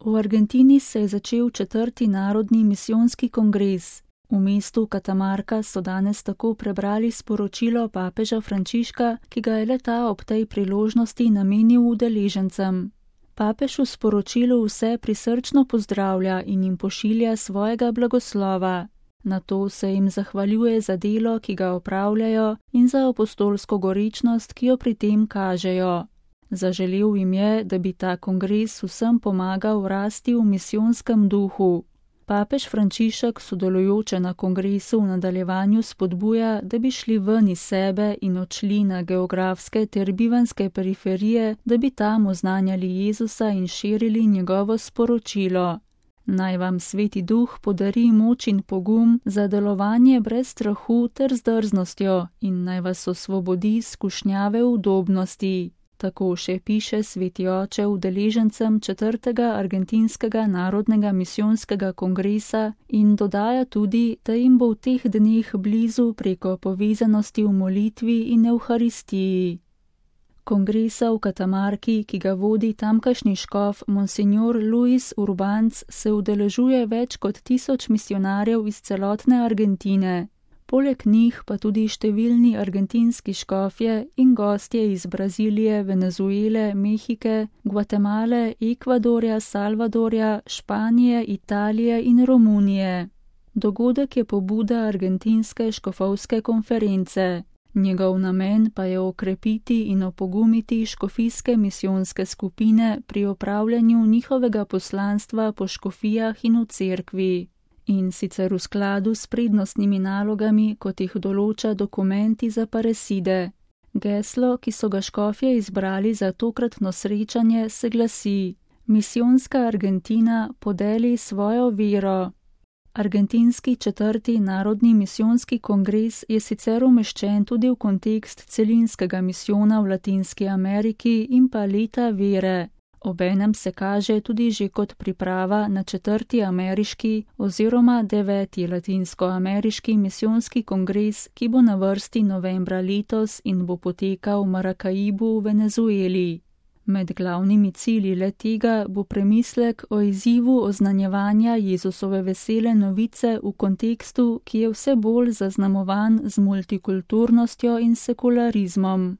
V Argentini se je začel 4. narodni misijonski kongres. V mestu Catamarca so danes tako prebrali sporočilo papeža Frančiška, ki ga je le-ta ob tej priložnosti namenil udeležencem. Papež v sporočilu vse prisrčno pozdravlja in jim pošilja svojega blagoslova. Nato se jim zahvaljuje za delo, ki ga opravljajo, in za apostolsko gorečnost, ki jo pri tem kažejo. Zaželel jim je, da bi ta kongres vsem pomagal rasti v misijonskem duhu. Papež Frančišek sodelujoče na kongresu v nadaljevanju spodbuja, da bi šli ven iz sebe in odšli na geografske ter bivanske periferije, da bi tam oznanjali Jezusa in širili njegovo sporočilo. Naj vam Sveti Duh podari moč in pogum za delovanje brez strahu ter z drznostjo in naj vas osvobodi skušnjave udobnosti. Tako še piše Sveti oče udeležencem 4. argentinskega narodnega misijonskega kongresa in dodaja tudi, da jim bo v teh dneh blizu preko povezanosti v molitvi in evharistiji. Kongresa v Catamarci, ki ga vodi tamkajšnji škof Monsignor Luis Urbanc, se udeležuje več kot 1000 misijonarjev iz celotne Argentine. Poleg njih pa tudi številni argentinski škofje in gostje iz Brazilije, Venezuele, Mehike, Gvatemale, Ekvadorja, Salvadorja, Španije, Italije in Romunije. Dogodek je pobuda Argentinske škofovske konference. Njegov namen pa je okrepiti in opogumiti škofijske misijonske skupine pri opravljanju njihovega poslanstva po škofijah in v cerkvi. In sicer v skladu s prednostnimi nalogami, kot jih določa dokumenti za pareside. Geslo, ki so ga škofje izbrali za tokratno srečanje, se glasi: Misijonska Argentina podeli svojo vero. Argentinski 4. narodni misijonski kongres je sicer umeščen tudi v kontekst celinskega misijona v Latinski Ameriki in pa leta vere. Obenem se kaže tudi že kot priprava na 4. ameriški oziroma 9. latinsko-ameriški misijonski kongres, ki bo na vrsti novembra letos in bo potekal v Maracaibu v Venezueli. Med glavnimi cilji le-tega bo premislek o izzivu oznanjevanja Jezusove vesele novice v kontekstu, ki je vse bolj zaznamovan z multikulturnostjo in sekularizmom.